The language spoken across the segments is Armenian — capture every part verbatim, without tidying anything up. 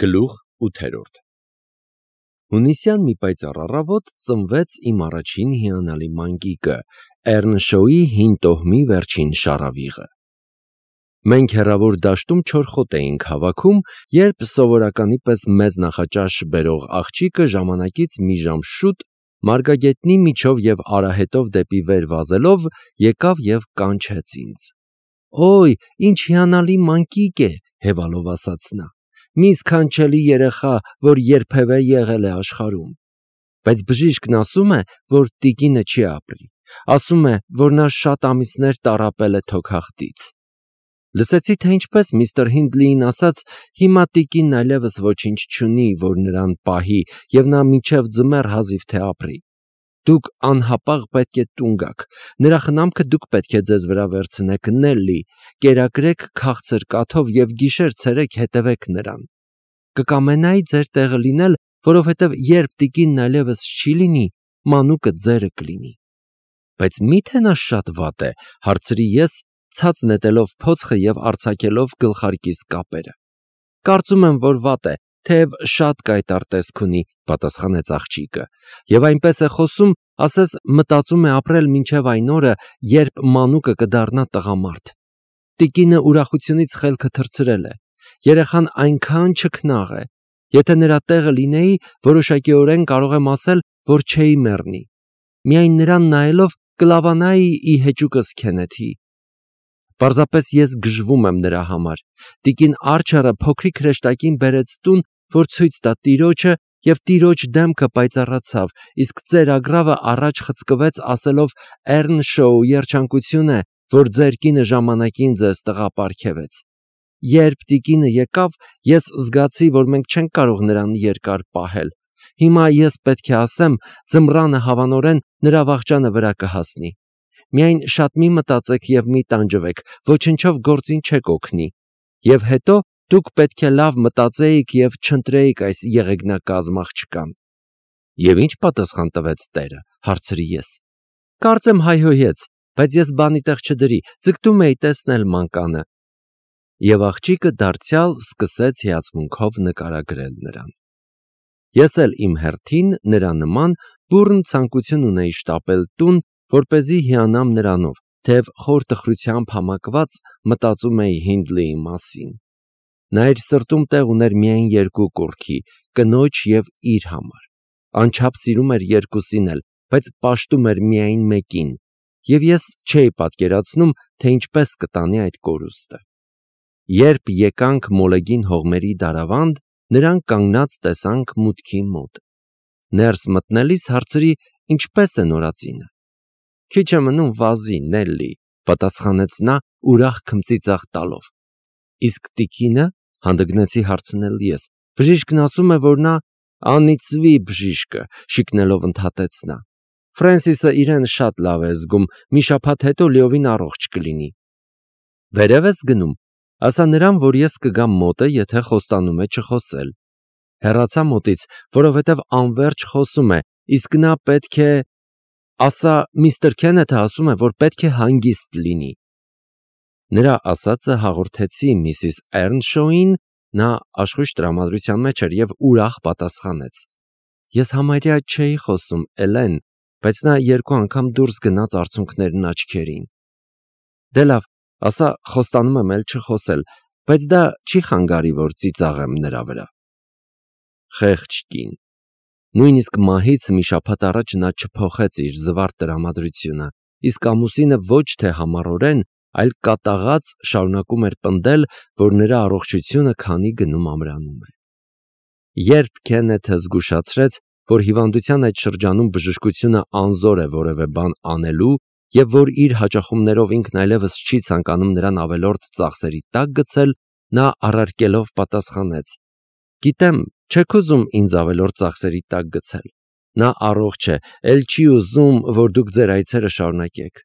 Գլուխ ութերորդ Հունիսյան մի պայծառ առավոտ ծնվեց իմ առաջին հիանալի մանկիկը, Էռնշոուի հին տոհմի վերջին շարավիղը։ Մենք հեռավոր դաշտում չորխոտ էինք հավաքում, երբ սովորականի պես մեծ նախաճաշ բերող աղջիկը ժամանակից մի ժամ շուտ, մարգագետնի միջով և արահետով դեպի վեր վազելով, եկավ և կանչեց ինձ։ «Օй, ինչ հիանալի մանկիկ է», հևալով ասաց նա, «մի սքանչելի երեխա, որ երբևէ եղել է աշխարհում»։ Բայց բժիշկն ասում է, որ տիկինը չի ապրի, ասում է, որ նա շատ ամիսներ տառապել է թոքախտից։ Լսեցի, թե ինչպես միստր Հինդլիին ասաց, հիմա տիկինն այլևս ոչինչ չունի, որ նրան պահի, և նա մինչև ձմեռ հազիվ թե ապրի։ Դուք անհապաղ պետք է տուն գաք, նրա խնամքը դուք պետք է ձեզ վրա վերցնեք, Նելլի, կերակրեք քաղցր կաթով և գիշեր-ցերեկ հետևեք նրան։ Կկամենայի ձեր տեղը լինել, որովհետև երբ տիկինն այլևս չի լինի, մանուկը ձերը կլինի։ Բայց մի՞թե նա շատ վատ է, հարցրի ես, ցած նետելով փոցխը և արձակելով գլխարկիս կապերը։ Կարծում եմ, որ վատ է, թեև շատ կայտառ տեսք ունի, պատասխանեց աղջիկը, և այնպես է խոսում, ասես մտածում է ապրել մինչև այն օրը, երբ մանուկը կդառնա տղամարդ։ Տիկինը ուրախությունից խելքը թռցրել է, երեխան այնքան չքնաղ է, եթե նրա տեղը լինեի, որոշակիորեն կարող եմ ասել, որ չէի մեռնի, միայն նրան նայելով կլավանայի ի հեճուկս Քենեթի։ Պարզապես ես գժվում եմ նրա համար։ Տիկին Արջերը փոքրիկ հրեշտակին բերեց տուն, որ ցույց տա տիրոջը, և տիրոջ դեմքը պայծառացավ, իսկ ծեր ագռավը առաջ խցկվեց, ասելով Էռնշոու երջանկություն է, որ ձեր կինը ժամանակին ձեզ տղա պարգևեց։ Երբ տիկինը եկավ, ես զգացի, որ մենք չենք կարող նրան երկար պահել։ Հիմա ես պետք է ասեմ, ձմռանը հավանորեն նրա վախճանը վրա կհասնի։ Միայն շատ մի մտածեք և մի տանջվեք, ոչնչով գործին չեք օգնի։ Եվ հետո դուք պետք է լավ մտածեիք և չընտրեիք այս եղեգնակազմ աղջկան։ Եվ ինչ պատասխան տվեց տերը, հարցրի ես։ Կարծեմ հայհոյեց, բայց ես բանի տեղ չդրի, ձգտում էի տեսնել մանկանը։ Եվ աղջիկը դարձյալ սկսեց հիացմունքով նկարագրել նրան։ Ես էլ իմ հերթին նրա նման բուռն ցանկություն ունեի շտապել տուն, որպեսզի հիանամ նրանով, թեև խոր տխրությամբ համակված մտածում էի Հինդլիի մասին։ Նա իր սրտում տեղ ուներ միայն երկու կուռքի՝ կնոջ և իր համար։ Անչափ սիրում էր երկուսին էլ, բայց պաշտում էր միայն մեկին, և ես չէի պատկերացնում, թե ինչպես կտանի այդ կորուստը։ Երբ եկանք մոլեգին հողմերի դարավանդ, նրան կանգնած տեսանք մուտքի մոտ։ Ներս մտնելիս հարցրի, ինչպես է նորածինը։ Քիչ է մնում վազի, Նելլի, պատասխանեց նա ուրախ քմծիծաղ տալով։ Իսկ տիկինը, հանդգնեցի հարցնել ես, բժիշկն ասում է, որ նա անիծվի բժիշկը, շիկնելով ընդհատեց նա։ Ֆրենսիսը իրեն շատ լավ է զգում, մի շաբաթ հետո լիովին առողջ կլինի։ Վերև ես գնում, ասա նրան, որ ես կգամ մոտը, եթե խոստանում է չխոսել։ Հեռացա մոտից, որովհետև անվերջ խոսում է, իսկ նա պետք է… Ասա, միստր Քենեթը ասում է, որ պետք է հանգիստ լինի։ Նրա ասածը հաղորդեցի միսիս Էռնշոուին, նա աշխույժ տրամադրության մեջ էր և ուրախ պատասխանեց. Ես համարյա չէի խոսում, Էլեն, բայց նա երկու անգամ դուրս գնաց արցունքներն աչքերին։ Դե լավ, ասա, խոստանում եմ էլ չխոսել, բայց դա չի խանգարի, որ ծիծաղեմ նրա վրա։ Խեղճ կին։ Նույնիսկ մահից մի շաբաթ առաջ նա չփոխեց իր զվարթ տրամադրությունը, իսկ ամուսինը ոչ թե համառորեն, այլ կատաղած շարունակում էր պնդել, որ նրա առողջությունը քանի գնում ամրանում է։ Երբ Քենեթը զգուշացրեց, որ հիվանդության այդ շրջանում բժշկությունը անզոր է որևէ բան անելու և որ իր հաճախումներով ինքն այլևս չի ցանկանում նրան ավելորդ ծախսերի տակ գցել, նա առարկելով պատասխանեց. Գիտեմ, չեք ուզում ինձ ավելորդ ծախսերի տակ գցել։ Նա առողջ է, էլ չի ուզում, որ դուք ձեր այցերը շարունակեք։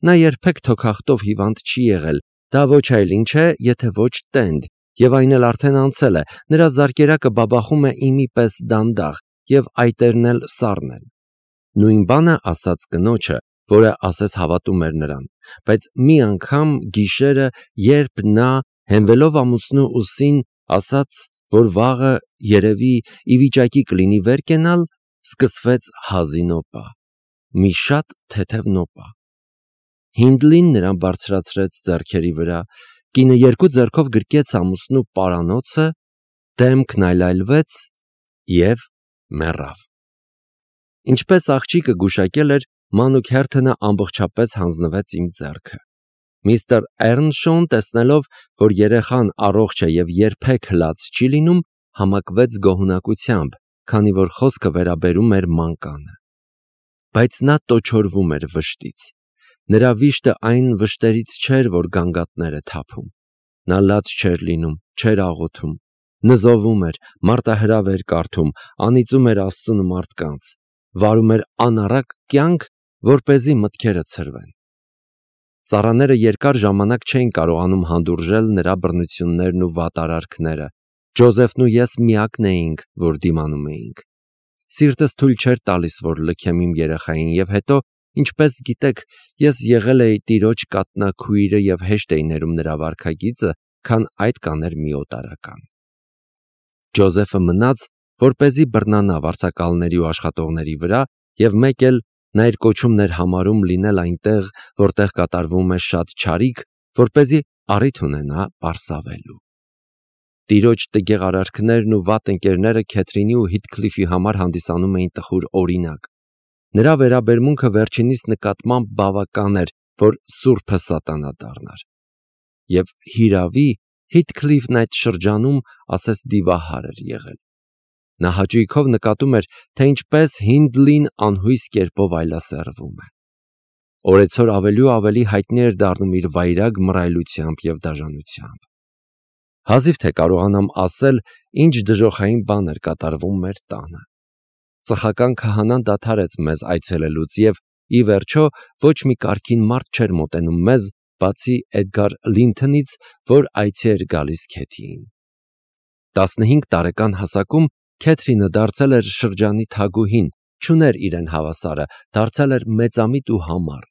Նա երբեք թոքախտով հիվանդ չի եղել, դա ոչ այլ ինչ է, եթե ոչ տենդ, և այն էլ արդեն անցել է, նրա զարկերակը բաբախում է իմի պես դանդաղ, և այտերն էլ սառն են։ Նույն բանը ասաց կնոջը, որը ասես հավատում էր նրան, բայց մի անգամ գիշերը, երբ նա, հենվելով ամուսնու ուսին, ասաց, որ վաղը երևի ի վիճակի կլինի վեր կենալ, սկսվեց հազի նոպա, մի շատ թեթև նոպա։ Հինդլին նրան բարձրացրեց ձեռքերի վրա, կինը երկու ձեռքով գրկեց ամուսնու պարանոցը, դեմքն այլայլվեց և մեռավ։ Ինչպես աղջիկը գուշակել էր, մանուկ Հերթոնը ամբողջապես հանձնվեց իմ ձեռքը։ Միստր Էռնշոուն, տեսնելով, որ երեխան առողջ է և երբեք լաց չի լինում, համակվեց գոհունակությամբ, քանի որ խոսքը վերաբերում էր մանկանը։ Բայց նա տոչորվում էր վշտից։ Նրա վիշտը այն վշտերից չէր, որ գանգատներ է թափում։ Նա լաց չէր լինում, չէր աղոթում, նզովում էր, մարտահրավ էր կարդում, անիծում էր Աստծուն ու մարդկանց, վարում էր անառակ կյանք, որպեսզի մտքերը ցրվեն։ Ծառաները երկար ժամանակ չէին կարողանում հանդուրժել նրա բռնություններն ու վատ արարքները։ Ջոզեֆն ու ես միակն էինք, որ դիմանում էինք։ Սիրտս թույլ չէր տալիս, որ լքեմ իմ երեխային, և հետո, ինչպես գիտեք, ես եղել էի տիրոջ կաթնակույրը և հեշտ էի ներում նրա վարքագիծը, քան այդ կաներ մի օտարական։ Ջոզեֆը մնաց, որպեսզի բռնանա վարձակալների ու աշխատողների վրա, և մեկ էլ նա իր կոչումն էր համարում լինել այնտեղ, որտեղ կատարվում է շատ չարիք, որպեսզի առիթ ունենա պարսավելու։ Տիրոջ տգեղ արարքներն ու վատ ընկերները Քեթրինի ու Հիթքլիֆի համար հանդիսանում էին տխուր օրինակ։ Նրա վերաբերմունքը վերջինիս նկատմամբ բավական էր, որ սուրբը սատանա դառնար։ Եվ հիրավի Հիթքլիֆն այդ շրջանում ասես դիվահար էր եղել։ Նա հաճույքով նկատում էր, թե ինչպես Հինդլին անհույս կերպով այլասերվում է։ Օրեցօր ավելի ու ավելի հայտնի էր դառնում իր վայրագ մռայլությամբ և դաժանությամբ։ Հազիվ թե կարողանամ ասել, ինչ դժոխային բան էր կատարվում մեր տանը։ Ծխական քահանան դադարեց մեզ այցելելուց և, ի վերջո, ոչ մի կարգին մարդ չէր մոտենում մեզ, բացի Էդգար Լինթոնից, որ այցի էր գալիս Քեթիին։ Տասնհինգ տարեկան հասակում Քեթրինը դարձել էր շրջանի թագուհին, չուներ իրեն հավասարը, դարձել էր մեծամիտ ու համառ։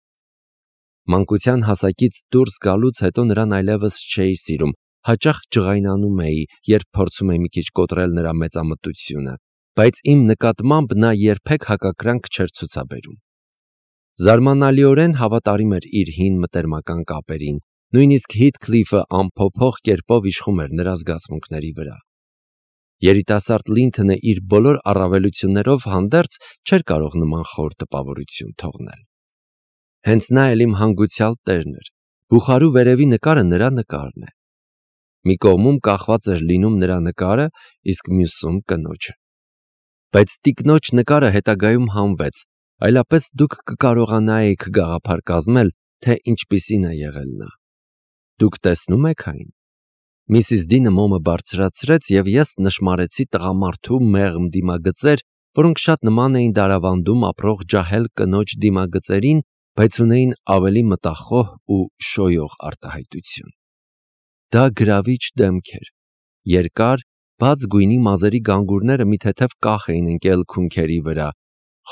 Մանկության հասակից դուրս գալուց հետո նրան այլևս չէի սիրում, հաճախ ջղայնանում էի, երբ փորձում էի մի քիչ կոտրել նրա մեծամտությունը, բայց իմ նկատմամբ նա երբեք հակակրանք չէր ցուցաբերում։ Զարմանալիորեն հավատարիմ էր իր հին մտերմական կապերին, նույնիսկ Հիթքլիֆը անփոփոխ կերպով իշխում էր նրա զգացմունքների վրա։ Երիտասարդ Լինթոնը իր բոլոր առավելություններով հանդերձ չէր կարող նման խոր տպավորություն թողնել։ Հենց նա էլ իմ հանգուցյալ տերն էր, բուխարու վերևի նկարը նրա նկարն է։ Մի կողմում կախված էր լինում նրա նկարը, իսկ մյուսում կնոջը։ Բայց տիկնոջ նկարը հետագայում հանվեց, այլապես դուք կկարողանայիք գաղափար կազմել, թե ինչպիսին է եղել նա։ Դուք տեսնում եք այն։ Միսիս Դինը մոմը բարձրացրեց, և ես նշմարեցի տղամարդու մեղմ դիմագծեր, որոնք շատ նման էին դարավանդում ապրող ջահել կնոջ դիմագծերին, բայց ունեին ավելի մտախոհ ու շոյող արտահայտություն։ Դա գրավիչ դեմք էր։ Երկար, բաց գույնի մազերի գանգուրները մի թեթև կախ էին ընկել քունքերի վրա,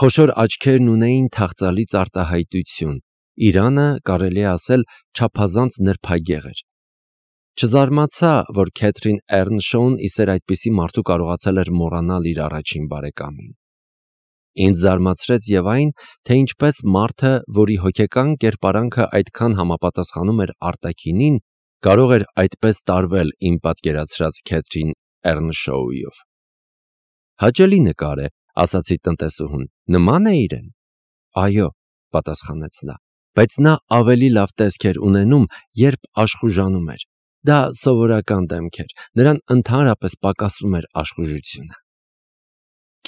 խոշոր աչքերն ունեին թախծալից արտահայտություն, իրանը, կարելի է ասել, չափազանց նրբագեղ էր։ Չզարմացա, որ Քեթրին Էռնշոուն իսեր այդպիսի մարդու կարողացել էր մոռանալ իր առաջին բարեկամին։ Ինձ զարմացրեց և այն, թե ինչպես մարդը, որի հոգեկան կերպարանքը այդքան համապատասխանում էր արտաքինին, կարող էր այդպես տարվել իմ պատկերացրած Քեթրին Էռնշոուով։ Հաճելի նկար է, ասացի տնտեսուհուն, նման է իրեն։ Այո, պատասխանեց նա, բայց նա ավելի լավ տեսք էր ունենում, երբ աշխուժանում էր։ Դա սովորական դեմք էր, նրան ընդհանրապես պակասում էր աշխուժությունը։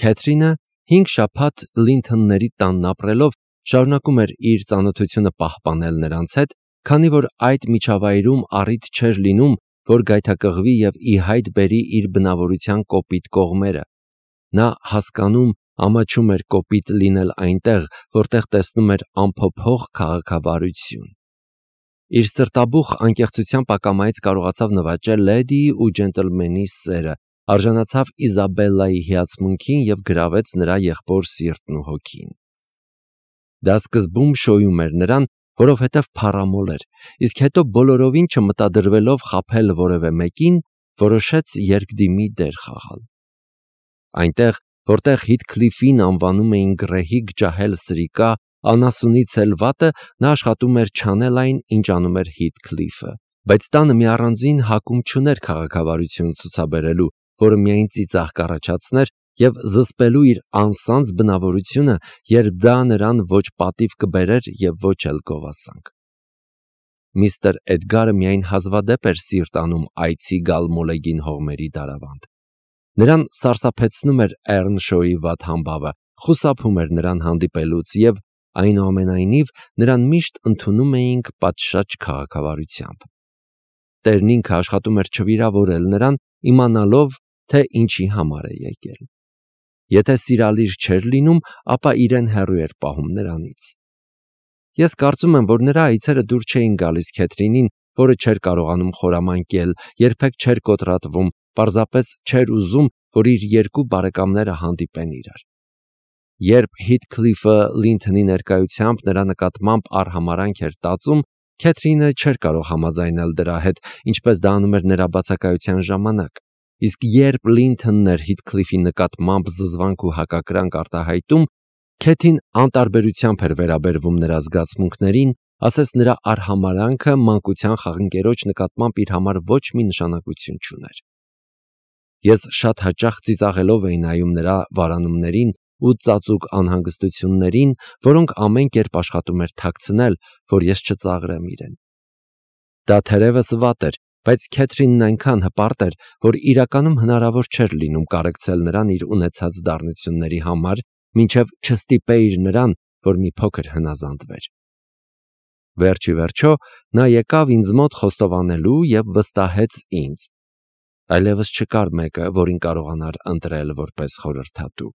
Քեթրինը հինգ շաբաթ Լինթոնների տանն ապրելով շարունակում էր իր ծանոթությունը պահպանել նրանց հետ, քանի որ այդ միջավայրում առիթ չէր լինում, որ գայթակղվի և ի հայտ բերի իր բնավորության կոպիտ կողմերը։ Նա հասկանում, ամաչում էր կոպիտ լինել այնտեղ, որտեղ տեսնում էր անփոփոխ քաղաքավարություն։ Իր սրտաբուխ անկեղծության պակամայից կարողացավ նվաճել լեդիի ու ջենտլմենի սերը, արժանացավ Իզաբելլայի հիացմունքին և գրավեց նրա եղբոր սիրտն ու հոգին։ Դա սկզբում շոյում էր նրան, որովհետև փառամոլ էր, իսկ հետո բոլորովին չմտադրվելով խաբել որևէ մեկին, որոշեց երկդիմի դեր խաղալ։ Այնտեղ, որտեղ Հիթքլիֆին անվանում էին գռեհիկ ջահել սրիկա, անասունից էլ վատը, նա աշխատում էր չանել այն, ինչ անում էր Հիթքլիֆը, բայց տանը մի առանձին հակում չուներ քաղաքավարություն ցուցաբերելու, որը միայն ծիծաղ կառաջացներ և զսպելու իր անսանձ բնավորությունը, երբ դա նրան ոչ պատիվ կբերեր և ոչ էլ գովասանք։ Միստր Էդգարը միայն հազվադեպ էր սիրտ անում այցի գալ մոլեգին հողմերի դարավանդ։ Նրան սարսափեցնում էր Էռնշոուի վատ համբավը, խուսափում էր նրան հանդիպելուց և, այնուամենայնիվ, նրան միշտ ընդունում էինք պատշաճ քաղաքավարությամբ։ Տերն ինքը աշխատում էր չվիրավորել նրան, իմանալով, թե ինչի համար է եկել։ Եթե սիրալիր չէր լինում, ապա իրեն հեռու էր պահում նրանից։ Ես կարծում եմ, որ նրա այցերը դուր չէին գալիս Քեթրինին, որը չէր կարողանում խորամանկել, երբեք չէր կոտրատվում, պարզապես չէր ուզում, որ իր երկու բարեկամները հանդիպեն իրար։ Երբ Հիթքլիֆը Լինթոնի ներկայությամբ նրա նկատմամբ արհամարհանք էր տածում, Քեթրինը չէր կարող համաձայնել դրա հետ, ինչպես դա անում էր նրա բացակայության ժամանակ, իսկ երբ Լինթոնն էր Հիթքլիֆի նկատմամբ զզվանք ու հակակրանք արտահայտում, Քեթին անտարբերությամբ էր վերաբերվում նրա զգացմունքներին, ասես նրա արհամարհանքը մանկության խաղընկերոջ նկատմամբ իր համար ոչ մի նշանակություն չուներ։ Ես շատ հաճախ ծիծաղելով էի նայում նրա վարանումներին ու ծածուկ անհանգստություններին, որոնք ամեն կերպ աշխատում էր թաքցնել, որ ես չծաղրեմ իրեն։ Դա թերևս վատ էր, բայց Քեթրինն այնքան հպարտ էր, որ իրականում հնարավոր չէր լինում կարեկցել նրան իր ունեցած դառնությունների համար, մինչև չստիպեիր նրան, որ մի փոքր հնազանդվեր։ Վերջ ի վերջո նա եկավ ինձ մոտ խոստովանելու և վստահեց ինձ։ Այլևս չկար մեկը, որին կարողանար ընտրել որպես խորհրդատու։